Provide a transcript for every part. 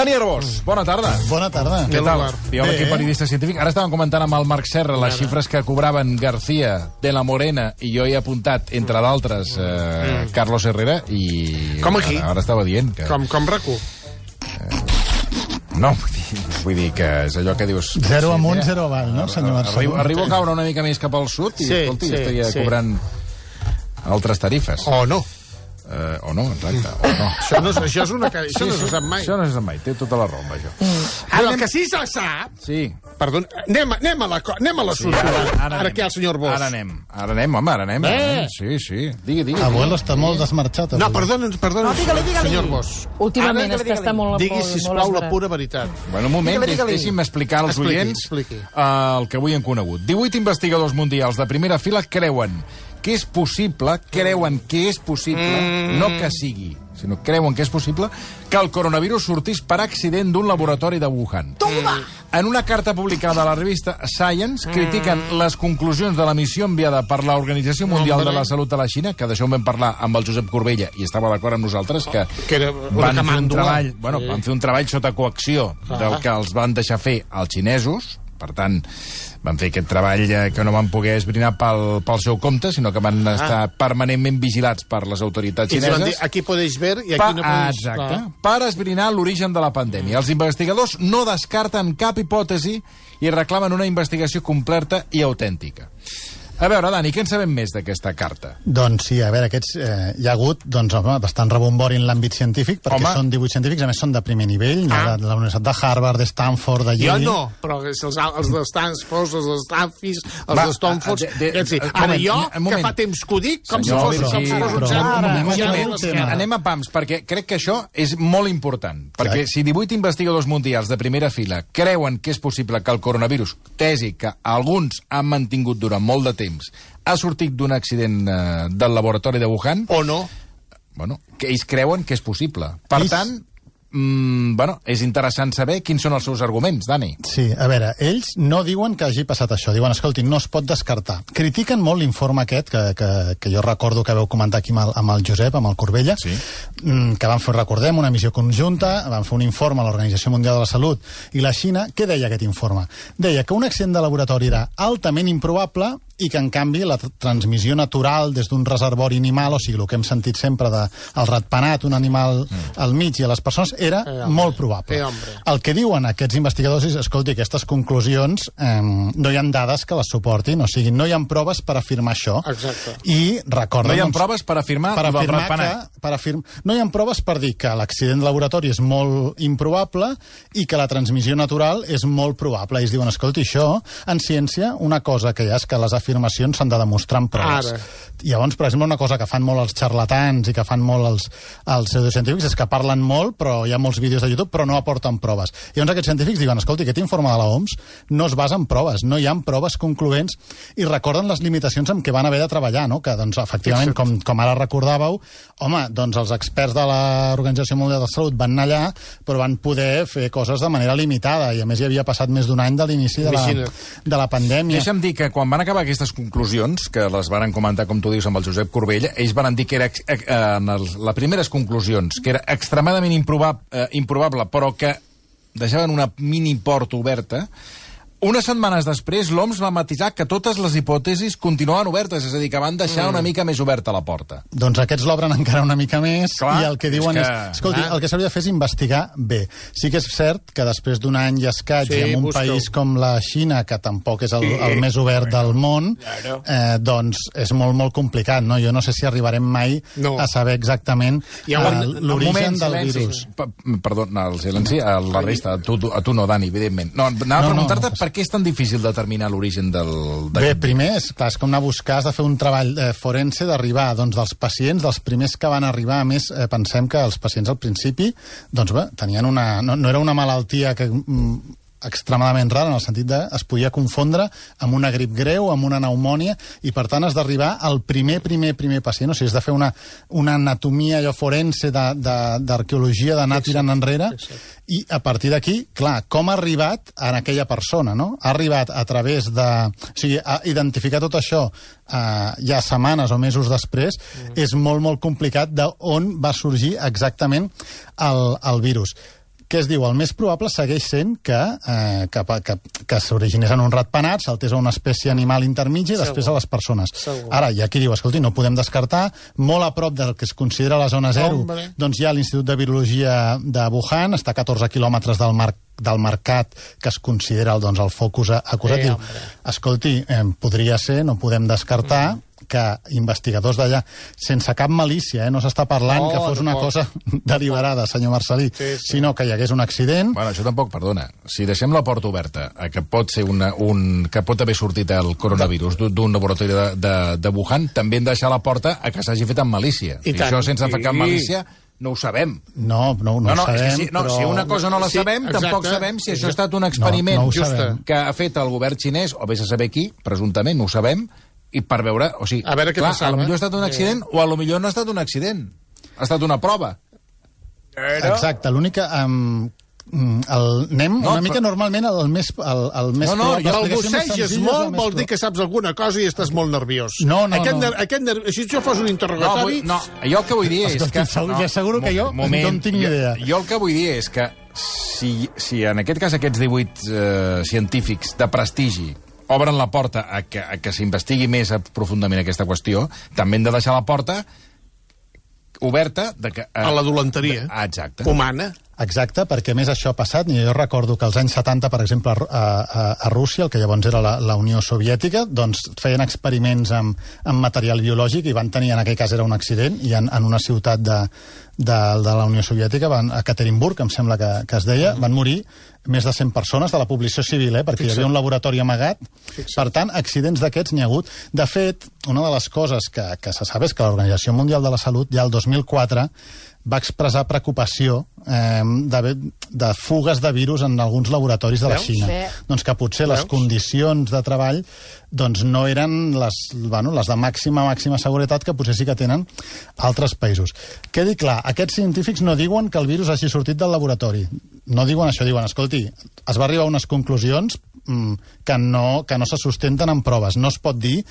Dani Arbós, bona tarda. Bona tarda. Què tal? Biòleg i periodista científic. Ara estàvem comentant amb el Marc Serra les xifres que cobraven García, de la Morena, i jo he apuntat, entre d'altres, Carlos Herrera, i... Com aquí? Ara estava dient que... Com RAC1. No, vull dir que és allò que dius... 0 amunt, 0 avall, no, senyor Marcelo? Arribo a caure una mica més cap al sud i, escolti, estaria cobrant altres tarifes. O no. O no, exacte, o no. Això no se sap mai. Això no se sap mai, té tota la raó, això. Ara, el que sí se sap... Sí. Perdó, anem a la sortida. Ara què, el senyor Arbós? Ara anem. Sí. Digui. Abuelo està molt desmarxat. No, perdona, digue-li. senyor Arbós. Últimament és que està molt... Digui, sisplau, la pura veritat. Bueno, un moment, deixi'm explicar als oients el que avui hem conegut. 18 investigadors mundials de primera fila creuen que és possible, no que sigui, sinó creuen que és possible que el coronavirus sortís per accident d'un laboratori de Wuhan. En una carta publicada a la revista Science, critiquen les conclusions de la missió enviada per l'Organització Mundial de la Salut de la Xina, que d'això en vam parlar amb el Josep Corbella, i estava d'acord amb nosaltres, que van fer un treball sota coacció del que els van deixar fer els xinesos. Per tant, van fer aquest treball que no van poder esbrinar pel seu compte, sinó que van estar permanentment vigilats per les autoritats xineses. Aquí podeu ver i aquí no podeu... Exacte, per esbrinar l'origen de la pandèmia. Els investigadors no descarten cap hipòtesi i reclamen una investigació completa i autèntica. A veure, Dani, què en sabem més d'aquesta carta? Doncs sí, a veure, hi ha hagut bastant rebombori en l'àmbit científic, perquè són 18 científics, a més són de primer nivell, de la Universitat de Harvard, de Stanford, de Yale... Jo no, però els de Stanford, els de Stanford, els de Stoneford... Ara jo, que fa temps que ho dic, com si fos un... Anem a pams, perquè crec que això és molt important, perquè si 18 investigadors mundials de primera fila creuen que és possible que el coronavirus, tesi que alguns han mantingut durant molt de temps, ha sortit d'un accident del laboratori de Wuhan... O no. Bueno, que ells creuen que és possible. Per tant, és interessant saber quins són els seus arguments, Dani. Sí, a veure, ells no diuen que hagi passat això. Diuen, escolti, no es pot descartar. Critiquen molt l'informe aquest, que jo recordo que vau comentar aquí amb el Josep, amb el Corbella, que van fer, recordem, una missió conjunta, van fer un informe a l'Organització Mundial de la Salut i la Xina. Què deia aquest informe? Deia que un accident de laboratori era altament improbable i que, en canvi, la transmissió natural des d'un reservori animal, o sigui, el que hem sentit sempre del ratpenat, un animal al mig i a les persones, era molt probable. El que diuen aquests investigadors és, escolti, aquestes conclusions no hi ha dades que les suportin, o sigui, no hi ha proves per afirmar això. Exacte. I recorden... No hi ha proves per afirmar el ratpenat. No hi ha proves per dir que l'accident de laboratori és molt improbable i que la transmissió natural és molt probable. Ells diuen, escolti, això, en ciència, una cosa que hi ha és que les afirmacions s'han de demostrar amb proves. Llavors, per exemple, una cosa que fan molt els xarlatans i que fan molt els pseudocientífics és que parlen molt, però hi ha molts vídeos de YouTube, però no aporten proves. Llavors aquests científics diuen, escolti, aquest informe de l'OMS no es basa en proves, no hi ha proves concloents, i recorden les limitacions amb què van haver de treballar, no? Que, doncs, efectivament, com ara recordàveu, home, doncs els experts de l'Organització Mundial de la Salut van anar allà, però van poder fer coses de manera limitada, i a més hi havia passat més d'un any de l'inici de la pandèmia. Deixa'm dir que quan van acabar aquestes conclusions, que les van comentar, com tu dius, amb el Josep Corbella, ells van dir que era, en les primeres conclusions, que era extremadament improbable, però que deixaven una mini porta oberta. Unes setmanes després, l'OMS va matisar que totes les hipòtesis continuaven obertes, és a dir, que van deixar una mica més oberta la porta. Doncs aquests l'obren encara una mica més, i el que diuen és... Escolti, el que s'hauria de fer és investigar bé. Sí que és cert que després d'un any i escaig, i en un país com la Xina, que tampoc és el més obert del món, doncs és molt, molt complicat, no? Jo no sé si arribarem mai a saber exactament l'origen del virus. Perdó, el silenci, a la resta, a tu no, Dani, evidentment. No, anava a preguntar-te per què és tan difícil determinar l'origen del... Bé, primer, és com anar a buscar, has de fer un treball forense d'arribar, doncs, dels pacients, dels primers que van arribar. A més, pensem que els pacients al principi, doncs bé, tenien no era una malaltia que extremadament rara, en el sentit de es podia confondre amb una grip greu, amb una pneumònia, i per tant has d'arribar al primer pacient, o sigui, has de fer una anatomia allò forense d'arqueologia, d'anar tirant enrere, i a partir d'aquí, clar, com ha arribat a aquella persona, no? Ha arribat a través de... O sigui, identificar tot això ja setmanes o mesos després és molt, molt complicat d'on va sorgir exactament el virus. Què es diu? El més probable segueix sent que s'originés en un ratpenat, saltés a una espècie animal intermitja i després a les persones. Ara, hi ha qui diu, escolti, no podem descartar, molt a prop del que es considera la zona zero, doncs hi ha l'Institut de Virologia de Wuhan, està a 14 quilòmetres del mercat que es considera el focus acusat. Diu, escolti, podria ser, no podem descartar que investigadors d'allà, sense cap malícia, no s'està parlant que fos una cosa deliberada, senyor Marcelí, sinó que hi hagués un accident. Bueno, això tampoc, perdona. Si deixem la porta oberta, que pot ser que pot haver sortit el coronavirus d'un laboratori de Wuhan, també hem de deixar la porta a que s'hagi fet amb malícia. I això sense fer cap malícia no ho sabem. No ho sabem, però... Si una cosa no la sabem, tampoc sabem si això ha estat un experiment que ha fet el govern xinès, o vés a saber qui, presumptament, no ho sabem, i per veure, o sigui, a veure què passava. Potser ha estat un accident o a lo millor no ha estat un accident. Ha estat una prova. Exacte, l'únic que... anem una mica normalment el més el busseges molt vol dir que saps alguna cosa i estàs molt nerviós. Si això fos un interrogatori... No, jo el que vull dir és que... Asseguro que jo no en tinc ni idea. Jo el que vull dir és que si en aquest cas aquests 18 científics de prestigi obren la porta a que s'investigui més profundament aquesta qüestió, també hem de deixar la porta oberta a la dolenteria humana. Exacte, perquè més això ha passat. Jo recordo que als anys 70, per exemple, a Rússia, el que llavors era la Unió Soviètica, doncs feien experiments amb material biològic i van tenir, en aquell cas era un accident, i en una ciutat de la Unió Soviètica, a Ekaterinburg, em sembla que es deia, van morir més de 100 persones de la població civil, perquè hi havia un laboratori amagat. Per tant, accidents d'aquests n'hi ha hagut. De fet, una de les coses que se sap és que l'Organització Mundial de la Salut ja el 2004 va expressar preocupació de fugues de virus en alguns laboratoris de la Xina. Doncs que potser les condicions de treball doncs no eren les de màxima seguretat que potser sí que tenen altres països. Quedi clar, aquests científics no diuen que el virus hagi sortit del laboratori. No diuen això, diuen, escolti, es va arribar a unes conclusions que no se sustenten en proves. No es pot dir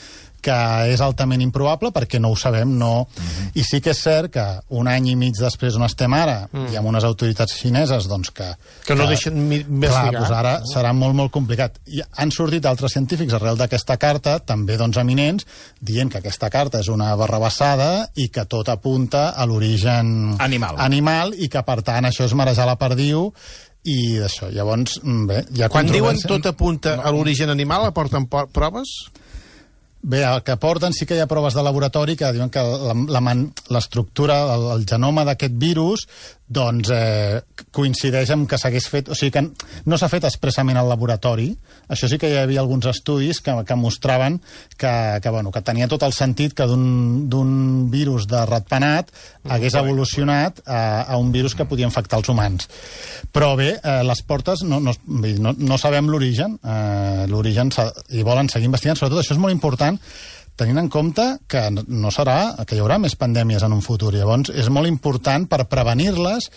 que és altament improbable perquè no ho sabem, no. I sí que és cert que un any i mig després on estem ara i amb unes autoritats xineses doncs que no deixen investigar. Clar, doncs ara serà molt, molt complicat. I han sortit altres científics arrel d'aquesta carta, també doncs eminents, dient que aquesta carta és una barrabassada i que tot apunta a l'origen animal i que per tant això és marejar la perdiu i d'això. Llavors, bé, hi ha quan diuen tot apunta a l'origen animal, aporten proves? Bé, el que porten sí que hi ha proves de laboratori que diuen que l'estructura, el genoma d'aquest virus doncs coincideix amb que s'hagués fet... O sigui que no s'ha fet expressament al laboratori. Això sí que hi havia alguns estudis que mostraven que tenia tot el sentit que d'un virus de ratpenat hagués evolucionat a un virus que podia infectar els humans. Però bé, les portes no sabem l'origen. I volen seguir investigant. Sobretot això és molt important tenint en compte que hi haurà més pandèmies en un futur. Llavors, és molt important per prevenir-les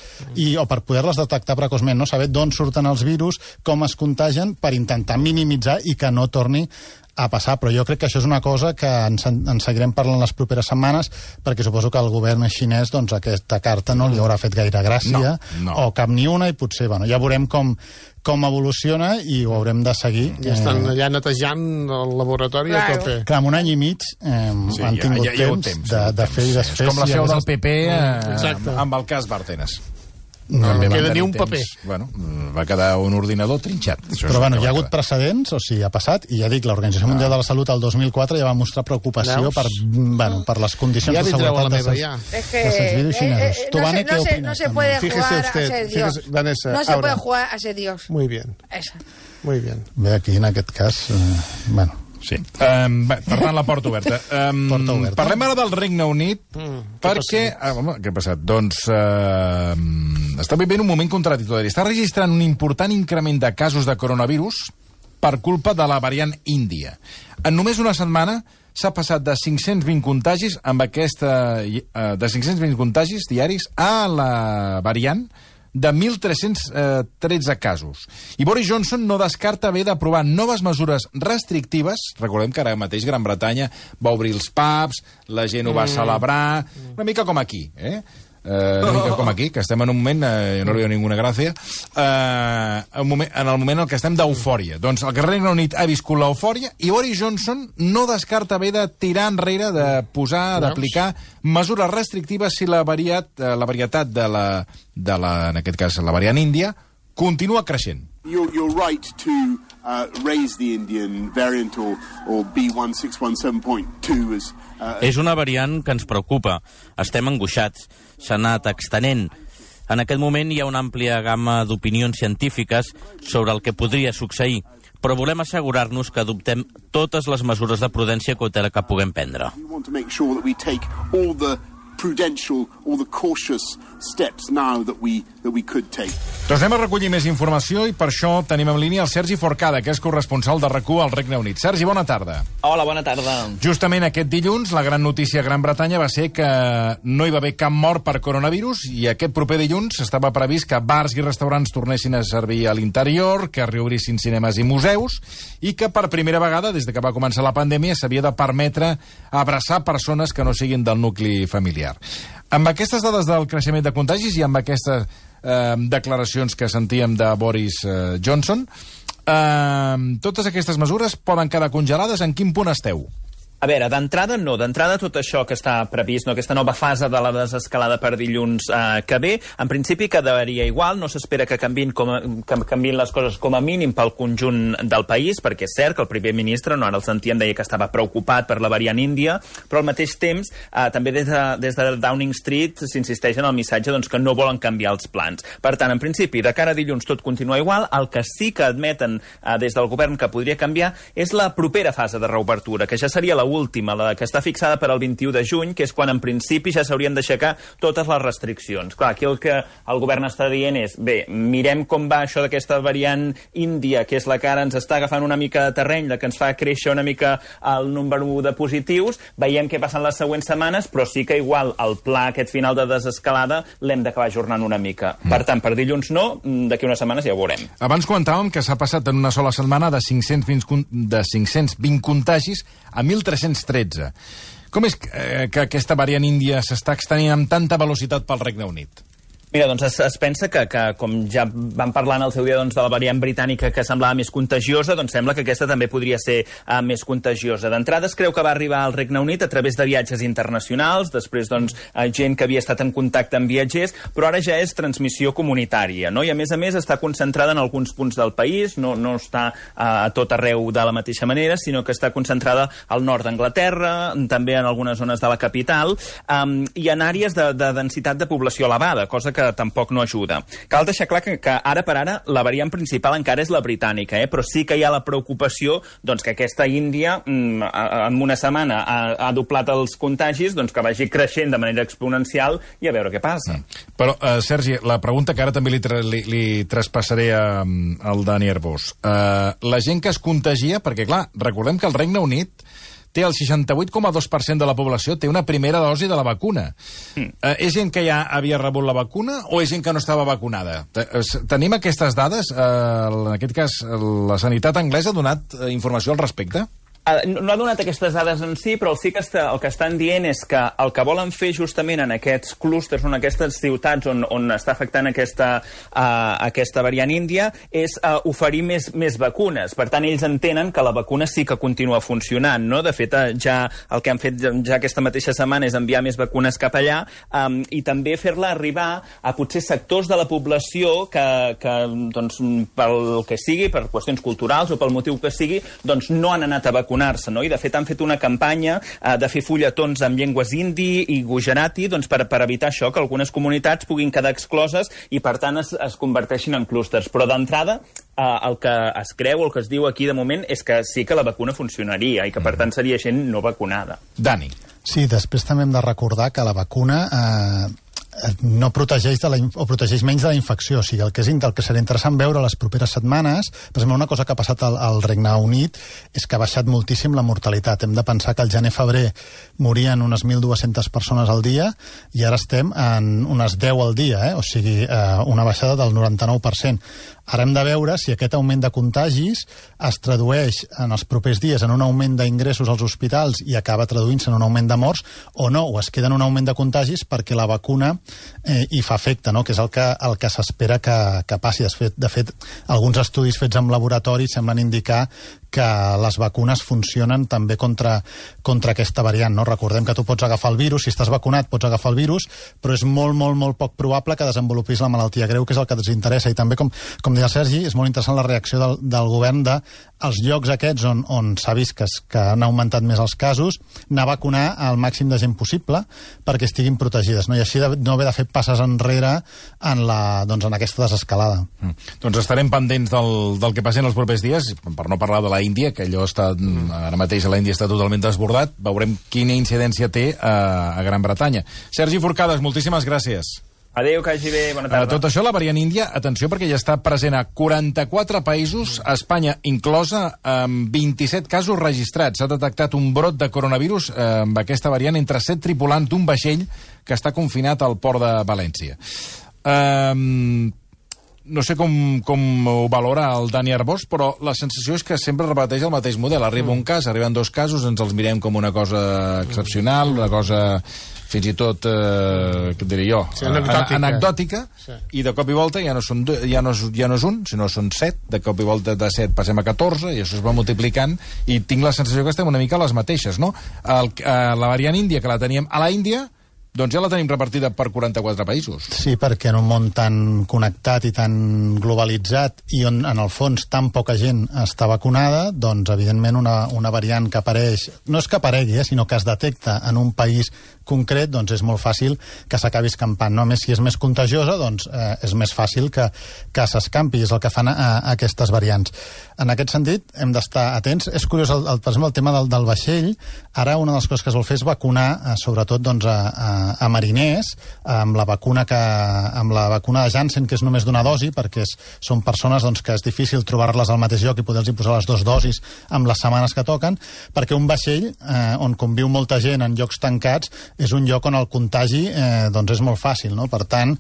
o per poder-les detectar precoçment, no saber d'on surten els virus, com es contagien, per intentar minimitzar i que no torni a passar. Però jo crec que això és una cosa que en seguirem parlant les properes setmanes, perquè suposo que al govern xinès doncs, aquesta carta no li haurà fet gaire gràcia, o cap ni una, i potser ja veurem com evoluciona i ho haurem de seguir. Ja estan allà netejant el laboratori a tope. Clar, en un any i mig han tingut temps de fer i desfer. És com la seu del PP amb el cas Bárcenas. No queda ni un paper. Bueno, va quedar un ordinador trinxat. Però bueno, hi ha hagut precedents, o sigui, ha passat, i ja dic, l'Organització Mundial de la Salut el 2004 ja va mostrar preocupació per les condicions de seguretat dels virus xinesos. No se puede jugar a ser Dios. No se puede jugar a ser Dios. Muy bien. Muy bien. Bé, aquí en aquest cas, bueno... Sí. Per tant, la porta oberta. Parlem ara del Regne Unit, perquè... Què ha passat? Doncs està vivint un moment contradictori. Està registrant un important increment de casos de coronavirus per culpa de la variant índia. En només una setmana s'ha passat de 520 contagis de 520 contagis diaris a la variant de 1.313 casos. I Boris Johnson no descarta haver d'aprovar noves mesures restrictives. Recordem que ara mateix Gran Bretanya va obrir els pubs, la gent ho va celebrar, una mica com aquí, una mica com aquí, que estem en un moment, no li veu ninguna gràcia, en el moment en què estem d'eufòria. Doncs el Regne Unit ha viscut l'eufòria i Boris Johnson no descarta haver de tirar enrere, de posar, d'aplicar mesures restrictives si la varietat de la, en aquest cas, la variant índia, continua creixent. You're right to raise the Indian variant or B1617.2 as... És una variant que ens preocupa. Estem angoixats. S'ha anat extenent. En aquest moment hi ha una àmplia gamma d'opinions científiques sobre el que podria succeir, però volem assegurar-nos que adoptem totes les mesures de prudència i cautela que puguem prendre. We want to make sure that we take all the prudential, all the cautious steps now that we could take. Doncs anem a recollir més informació i per això tenim en línia el Sergi Forcada, que és corresponsal de RAC1 al Regne Unit. Sergi, bona tarda. Hola, bona tarda. Justament aquest dilluns, la gran notícia a Gran Bretanya va ser que no hi va haver cap mort per coronavirus i aquest proper dilluns estava previst que bars i restaurants tornessin a servir a l'interior, que reobrissin cinemes i museus i que per primera vegada, des de que va començar la pandèmia, s'havia de permetre abraçar persones que no siguin del nucli familiar. Amb aquestes dades del creixement de contagis i amb aquestes declaracions que sentíem de Boris Johnson, totes aquestes mesures poden quedar congelades. En quin punt esteu? A veure, d'entrada no. D'entrada tot això que està previst, aquesta nova fase de la desescalada per dilluns que ve, en principi quedaria igual, no s'espera que canviïn les coses com a mínim pel conjunt del país, perquè és cert que el primer ministre, no ara el sentíem, deia que estava preocupat per la variant índia, però al mateix temps també des de Downing Street s'insisteix en el missatge que no volen canviar els plans. Per tant, en principi, de cara a dilluns tot continua igual, el que sí que admeten des del govern que podria canviar és la propera fase de reobertura, que ja seria la última, la que està fixada per al 21 de juny, que és quan en principi ja s'haurien d'aixecar totes les restriccions. Clar, aquí el que el govern està dient és, bé, mirem com va això d'aquesta variant índia, que és la que ara ens està agafant una mica de terreny, la que ens fa créixer una mica el número de positius, veiem què passen les següents setmanes, però sí que igual el pla aquest final de desescalada l'hem d'acabar ajornant una mica. Per tant, per dilluns no, d'aquí unes setmanes ja ho veurem. Abans comentàvem que s'ha passat en una sola setmana de 520 contagis a 1.313. Com és que aquesta variant índia s'està extenint amb tanta velocitat pel Regne Unit? Mira, doncs es pensa que com ja vam parlar en el seu dia de la variant britànica que semblava més contagiosa, doncs sembla que aquesta també podria ser més contagiosa. D'entrada es creu que va arribar al Regne Unit a través de viatges internacionals, després gent que havia estat en contacte amb viatgers, però ara ja és transmissió comunitària, no? I a més està concentrada en alguns punts del país, no està a tot arreu de la mateixa manera, sinó que està concentrada al nord d'Anglaterra, també en algunes zones de la capital, i en àrees de densitat de població elevada, cosa que tampoc no ajuda. Cal deixar clar que ara per ara la variant principal encara és la britànica, però sí que hi ha la preocupació que aquesta Índia en una setmana ha doblat els contagis, que vagi creixent de manera exponencial i a veure què passa. Però, Sergi, la pregunta que ara també li traspassaré al Dani Arbós. La gent que es contagia, perquè clar, recordem que el Regne Unit té el 68,2% de la població té una primera dosi de la vacuna. És gent que ja havia rebut la vacuna o és gent que no estava vacunada? Tenim aquestes dades? En aquest cas, la sanitat anglesa ha donat informació al respecte? No ha donat aquestes dades en si, però sí que el que estan dient és que el que volen fer justament en aquests clústers, en aquestes ciutats on està afectant aquesta variant índia, és oferir més vacunes. Per tant, ells entenen que la vacuna sí que continua funcionant, no? De fet, ja el que han fet ja aquesta mateixa setmana és enviar més vacunes cap allà i també fer-la arribar a potser sectors de la població que pel que sigui, per qüestions culturals o pel motiu que sigui, no han anat a vacunar, no? I de fet han fet una campanya de fer fulletons en llengües hindi i gujarati per evitar això, que algunes comunitats puguin quedar excloses i per tant es converteixin en clústers. Però d'entrada el que es creu, el que es diu aquí de moment és que sí que la vacuna funcionaria i que per tant seria gent no vacunada. Dani. Sí, després també hem de recordar que la vacuna no protegeix o protegeix menys de la infecció. O sigui, el que serà interessant veure les properes setmanes, per exemple, una cosa que ha passat al Regne Unit és que ha baixat moltíssim la mortalitat. Hem de pensar que al gener-febrer morien unes 1.200 persones al dia i ara estem en unes 10 al dia, o sigui, una baixada del 99%. Ara hem de veure si aquest augment de contagis es tradueix en els propers dies en un augment d'ingressos als hospitals i acaba traduint-se en un augment de morts, o no, o es queda en un augment de contagis perquè la vacuna hi fa efecte, no? Que és el que s'espera que passi. De fet, alguns estudis fets en laboratori semblen indicar que les vacunes funcionen també contra aquesta variant, no? Recordem que tu pots agafar el virus, si estàs vacunat pots agafar el virus, però és molt, molt, molt poc probable que desenvolupis la malaltia greu, que és el que ens interessa. I també, com deia el Sergi, és molt interessant la reacció del govern als llocs aquests on s'ha vist que han augmentat més els casos, anar a vacunar al màxim de gent possible perquè estiguin protegides, no? I així no haver de fer passes enrere en aquesta desescalada. Doncs estarem pendents del que passi en els propers dies, per no parlar de la Índia, que allò està, ara mateix a l'Índia està totalment desbordat. Veurem quina incidència té a Gran Bretanya. Sergi Forcades, moltíssimes gràcies. Adéu, que hagi bé, bona tarda. Tot això, la variant índia, atenció, perquè ja està present a 44 països, Espanya inclosa, amb 27 casos registrats. S'ha detectat un brot de coronavirus amb aquesta variant entre 7 tripulants d'un vaixell que està confinat al port de València. No sé com ho valora el Dani Arbós, però la sensació és que sempre repeteix el mateix model. Arriba un cas, arriben 2 casos, ens els mirem com una cosa excepcional, una cosa fins i tot, què diré jo, anecdòtica, i de cop i volta ja no és un, sinó són 7, de cop i volta de 7 passem a 14, i això es va multiplicant, i tinc la sensació que estem una mica a les mateixes, no? La variant índia, que la teníem a la Índia, doncs ja la tenim repartida per 44 països. Sí, perquè en un món tan connectat i tan globalitzat i on, en el fons, tan poca gent està vacunada, doncs, evidentment, una variant que apareix, no és que aparegui, sinó que es detecta en un país concret, doncs és molt fàcil que s'acabi escampant. No? A més, si és més contagiosa, doncs és més fàcil que s'escampi. És el que fan aquestes variants. En aquest sentit, hem d'estar atents. És curiós, per exemple, el tema del vaixell. Ara una de les coses que es vol fer és vacunar, sobretot, doncs, a mariners, amb la vacuna de Janssen, que és només d'una dosi, perquè són persones doncs, que és difícil trobar-les al mateix lloc i poder-los posar les 2 dosis amb les setmanes que toquen, perquè un vaixell on conviu molta gent en llocs tancats és un lloc on el contagi doncs és molt fàcil, no? Per tant,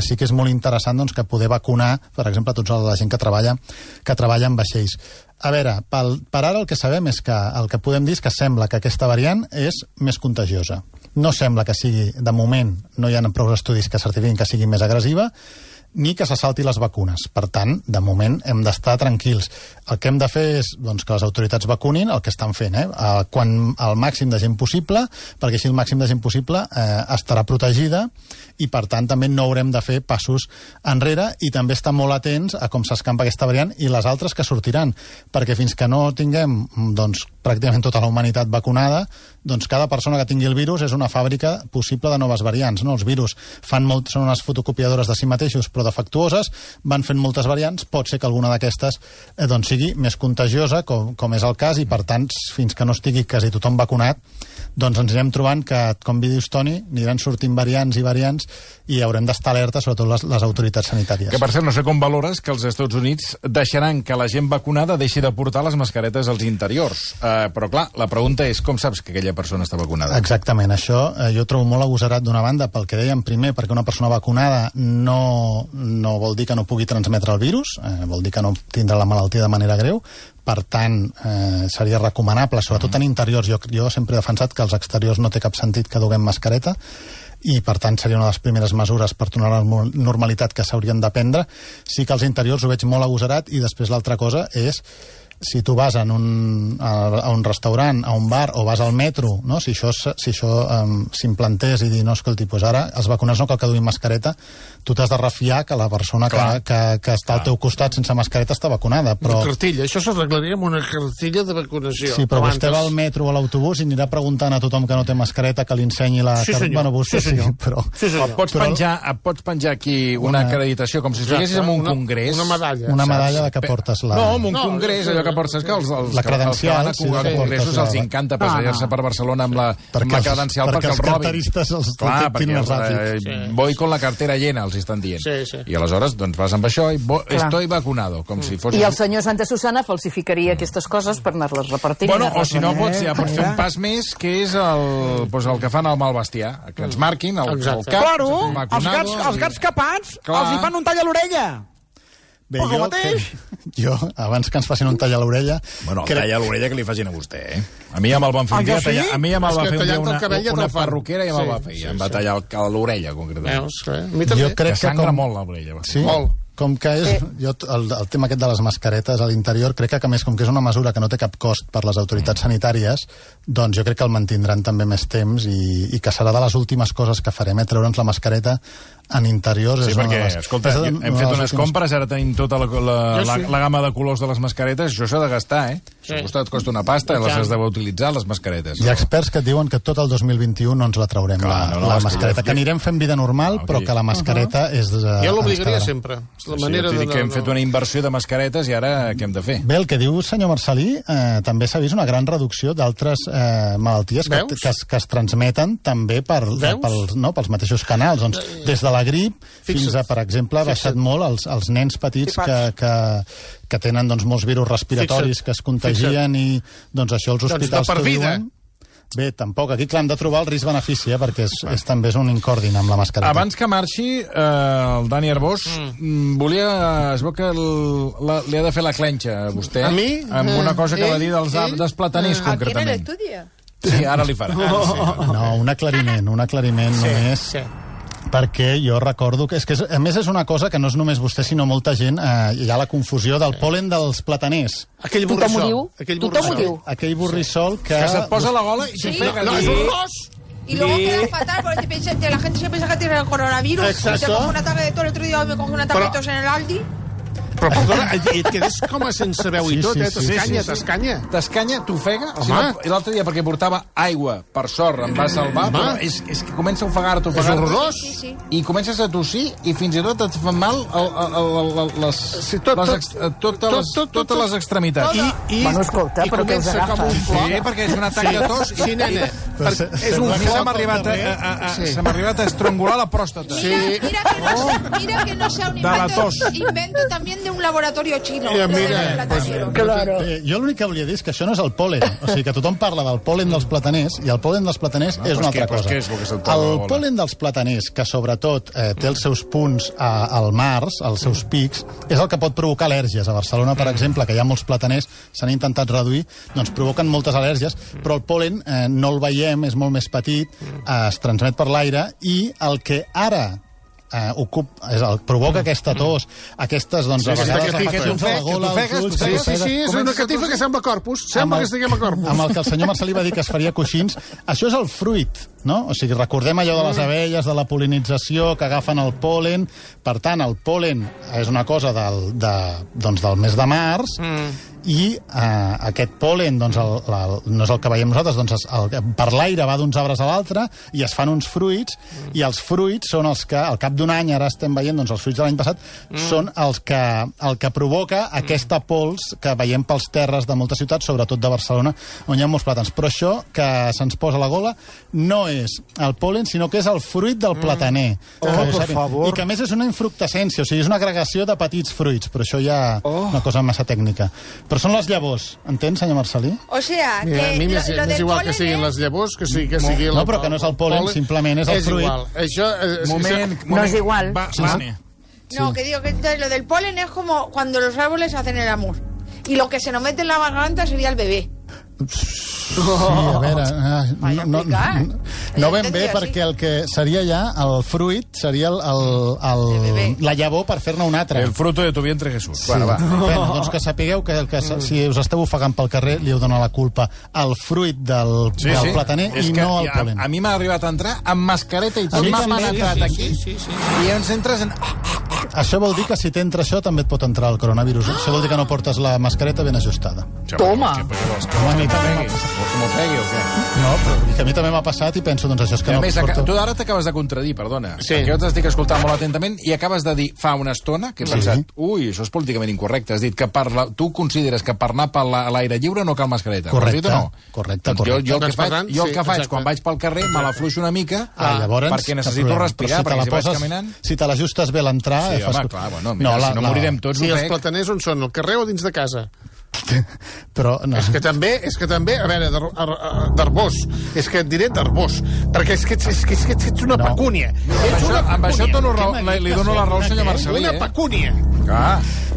sí que és molt interessant doncs, que poder vacunar, per exemple, tota la gent que treballa en vaixells. A veure, per ara el que sabem és que el que podem dir és que sembla que aquesta variant és més contagiosa. No sembla que sigui, de moment, no hi ha prou estudis que certifiquin que sigui més agressiva, ni que se salti les vacunes. Per tant, de moment, hem d'estar tranquils. El que hem de fer és doncs, que les autoritats vacunin el que estan fent, quan el màxim de gent possible, perquè així el màxim de gent possible estarà protegida i, per tant, també no haurem de fer passos enrere i també estar molt atents a com s'escampa aquesta variant i les altres que sortiran, perquè fins que no tinguem doncs, pràcticament tota la humanitat vacunada, doncs cada persona que tingui el virus és una fàbrica possible de noves variants. No? Els virus són unes fotocopiadores de si mateixos, però defectuoses, van fent moltes variants, pot ser que alguna d'aquestes doncs, sigui més contagiosa, com és el cas, i per tant, fins que no estigui quasi tothom vacunat, doncs ens anirem trobant que, com dius, Toni, aniran sortint variants i variants i haurem d'estar alerta, sobretot les autoritats sanitàries. Que, per cert, no sé com valores que els Estats Units deixaran que la gent vacunada deixi de portar les mascaretes als interiors. Però, clar, la pregunta és com saps que aquella persona està vacunada? Exactament, això jo trobo molt agosarat d'una banda, pel que dèiem primer, perquè una persona vacunada no vol dir que no pugui transmetre el virus, vol dir que no tindrà la malaltia de manera greu. Per tant, seria recomanable, sobretot en interiors. Jo sempre he defensat que als exteriors no té cap sentit que duguem mascareta i, per tant, seria una de les primeres mesures per tornar a la normalitat que s'haurien de prendre. Sí que als interiors ho veig molt agosarat i després l'altra cosa és si tu vas a un restaurant, a un bar o vas al metro, no? si això s'implantés i dir, no, escolti, doncs ara els vacunats no cal que duguin mascareta, tu t'has de refiar que la persona que està al teu costat sense mascareta està vacunada. Però... Una cartilla, això s'arreglaria amb una cartilla de vacunació. Sí, però vostè va al metro o a l'autobús i anirà preguntant a tothom que no té mascareta que li ensenyi la... Sí, senyor. Bueno, vostè sí, però... Sí, senyor. Pots penjar aquí una acreditació, com si estiguessis en un congrés. Una medalla. Una medalla de que portes la... No, en un congrés, allò que portes que els credencial, que van a congressos els encanta passejar-se per Barcelona amb la credencial perquè els robin. Carteristes els detectin més ràpid. Voy con la cartera llena, els estan dient. I aleshores doncs vas amb això i estoy vacunado, com si fos... I el senyor Santa Susana falsificaria aquestes coses per anar-les repartint. Bueno, o si no pots fer un pas més, que és el que fan al mal bestiar, que ens marquin el cap. Claro, els gats capats els hi fan un tall a l'orella. Bé, jo, abans que ens facin un tall a l'orella... Bueno, el tall a l'orella que li facin a vostè, eh? A mi ja me'l van fer un dia... A mi ja me'l va fer una perruquera i ja me'l va fer. Em va tallar l'orella, concretament. Jo crec que sangra molt l'orella. Sí? Molt. Com que és... el tema aquest de les mascaretes a l'interior, crec que, a més, com que és una mesura que no té cap cost per les autoritats sanitàries, doncs jo crec que el mantindran també més temps i que serà de les últimes coses que farem, treure'ns la mascareta en interiors. Sí, perquè, escolta, hem fet unes compres, ara tenim tota la gamma de colors de les mascaretes, això s'ha de gastar, eh? Això et costa una pasta, les has d'utilitzar, les mascaretes. Hi ha experts que et diuen que tot el 2021 no ens la traurem, la mascareta, que anirem fent vida normal, però que la mascareta és... Jo l'obligaria sempre. Jo t'he dit que hem fet una inversió de mascaretes i ara què hem de fer? Bé, el que diu senyor Marcelí, també s'ha vist una gran reducció d'altres malalties que es transmeten també pels mateixos canals. Doncs, des de la grip fins a, per exemple, ha baixat molt els nens petits que tenen molts virus respiratoris que es contagien i això els hospitals que diuen... Bé, tampoc. Aquí, clar, hem de trobar el risc-benefici, perquè també és un incòrdin amb la mascareta. Abans que marxi, el Dani Arbós es veu que li ha de fer la clenxa a vostè. A mi? Amb una cosa que va dir dels plataners, concretament. Aquí en l'estudi? Sí, ara li farà. No, un aclariment només... Perquè jo recordo que, a més, és una cosa que no és només vostè, sinó molta gent, hi ha la confusió del pol·len dels plataners. Aquell borrissol. Tothom ho diu. Aquell borrissol que se't posa a la gola i t'ofega. No, és horrorós! Y luego queda fatal porque la gente se piensa que tiene el coronavirus. Exacto. Se coge un ataque de tos. El otro día me cogí un ataque de tos en el Aldi. Però, perdona, et quedes com a sense veu i tot, t'escanya. T'escanya, t'ofega. I l'altre dia, perquè portava aigua, per sort, em va salvar, però és que comença a ofegar-te. És horrorós. I comences a tossir i fins i tot et fan mal totes les extremitats. Bueno, escolta, però què us agafa? Sí, perquè és un atac de tos. Sí, nena. És un flor. Se m'ha arribat a estrangular la pròstata. Mira que no sea un invento también de un laboratorio chino. Mira, claro. Jo l'únic que volia dir és que això no és el pol·len. O sigui, que tothom parla del pol·len dels plataners i el pol·len dels plataners és una altra cosa. El pol·len dels plataners, que sobretot té els seus punts al març, els seus pics, és el que pot provocar al·lèrgies. A Barcelona, per exemple, que hi ha molts plataners, s'han intentat reduir, doncs provoquen moltes al·lèrgies, però el pol·len no el veiem, és molt més petit, es transmet per l'aire i el que ara provoca aquesta tos, aquestes, doncs, a vegades afeccions a la gola, als ulls... Sí, és una catifa que sembla corpus. Sembla que estiguem a corpus. Amb el que el senyor Marcelí va dir que es faria coixins. Això és el fruit, no? O sigui, recordem allò de les abelles, de la pol·linització, que agafen el pol·len. Per tant, el pol·len és una cosa del mes de març, i aquest pol·len no és el que veiem nosaltres, doncs per l'aire va d'uns arbres a l'altre i es fan uns fruits, i els fruits són els que al cap d'un any, ara estem veient els fruits de l'any passat, són el que provoca aquesta pols que veiem pels terres de moltes ciutats, sobretot de Barcelona, on hi ha molts plàtans. Però això que se'ns posa a la gola no és el pol·len, sinó que és el fruit del plataner. Per favor. I que a més és una infructescència, o sigui, és una agregació de petits fruits, però això ja una cosa massa tècnica. Però són les llavors, entens, senyor Marcelí? O sea, que a mi m'és igual que siguin les llavors, que sigui no, però que no és el pol·len, simplement és el fruit. És igual. No és igual. No, que digo que lo del polen es como cuando los árboles hacen el amor. Y lo que se nos mete en la garganta sería el bebé. Sí, a veure... No ben bé, perquè el que seria ja el fruit seria la llavor per fer-ne un altre. El fruto de tu vientre, Jesús. Sí. Bueno, doncs que sapigueu que si us esteu ofegant pel carrer li heu donat la culpa al fruit del plataner i no al pol·len. A mi m'ha arribat a entrar amb mascareta i tot. M'ha entrat aquí i ens entres en... Això vol dir que si t'entra això també et pot entrar el coronavirus. Això vol dir que no portes la mascareta ben ajustada. Toma! No, però que a mi també m'ha passat i penso, doncs això és que no... A més, tu ara t'acabes de contradir, perdona. Perquè jo t'estic escoltant molt atentament i acabes de dir fa una estona que he pensat, això és políticament incorrecte. Has dit que tu consideres que per anar per l'aire lliure no cal mascareta. Correcte. Jo el que faig quan vaig pel carrer me l'afluixo una mica perquè necessito respirar, perquè si vaig caminant... Si te l'ajustes bé l'entrar... Sí, home, clar, no morirem tots. I els plataners on són? Al carrer o dins de casa? Però no. És que també, a veure, d'Arbós, és que et diré d'Arbós, perquè és que ets una pecúnia. Amb això li dono la raó al senyor Marcelí. Una pecúnia.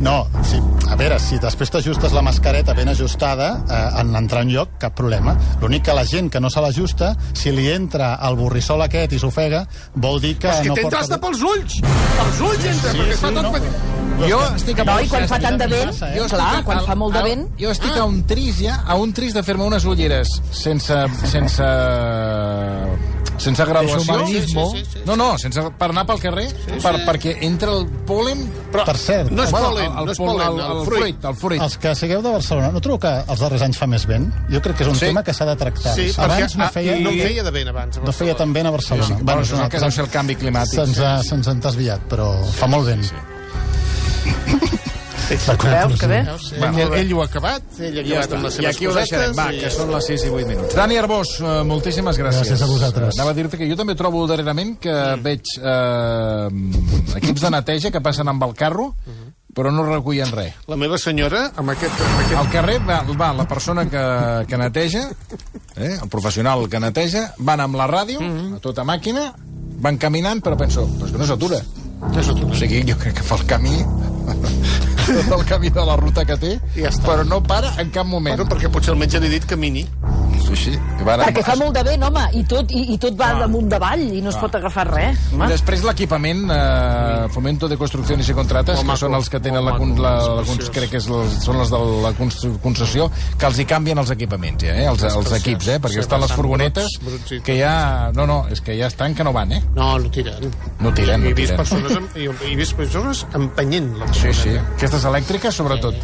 No, sí, a veure, si després t'ajustes la mascareta ben ajustada, en entrar en lloc, cap problema. L'únic que la gent que no se l'ajusta, si li entra el borrissol aquest i s'ofega, vol dir que no porta... És que t'entra hasta pels ulls! Pels ulls entra, perquè es fa tot petit. Jo estic no, i quan fa tant de vent, clar, quan fa molt de vent... Jo estic a un tris de fer-me unes ulleres sense graduació. No, per anar pel carrer, perquè entra el pol·len... Per cert, no és pol·len, el fruit. Els que sigueu de Barcelona, no trobo que els darrers anys fa més vent? Jo crec que és un tema que s'ha de tractar. Sí, abans no feia de vent abans. No feia tan vent a Barcelona. Bueno, és el que deu ser el canvi climàtic. Se'ns han desviat, però fa molt vent. Veus que bé? Ell ho ha acabat, ell ha acabat amb les seves cosetes. I aquí ho deixarem, va, que són les 6 i 8 minuts. Dani Arbós, moltíssimes gràcies. Gràcies a vosaltres. Anava a dir-te que jo també trobo darrerament que veig equips de neteja que passen amb el carro, però no recullen res. La meva senyora, amb aquest... Al carrer va la persona que neteja, el professional que neteja, van amb la ràdio, a tota màquina, van caminant, però penso, però és que no s'atura. O sigui, jo crec que fa el camí de la ruta que té, però no para en cap moment. Bueno, perquè potser el metge li ha dit camini. Sí. Perquè fa molt de vent, home, i tot va damunt davall i no es pot agafar res. I després l'equipament, Fomento de Construcciones y Contratas, que són els que tenen crec que són els de la concessió, que els hi canvien els equipaments, els equips, perquè estan les furgonetes que ja... No, és que ja estan que no van, No tiren. No tiren. He vist persones empenyent la Sí. Aquestes elèctriques, sobretot.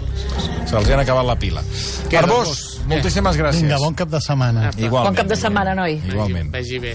Se'ls han acabat la pila. Arbós, moltíssimes gràcies. Vinga, bon cap de setmana. Igualment. Bon cap de setmana, noi. Igualment. Vagi bé.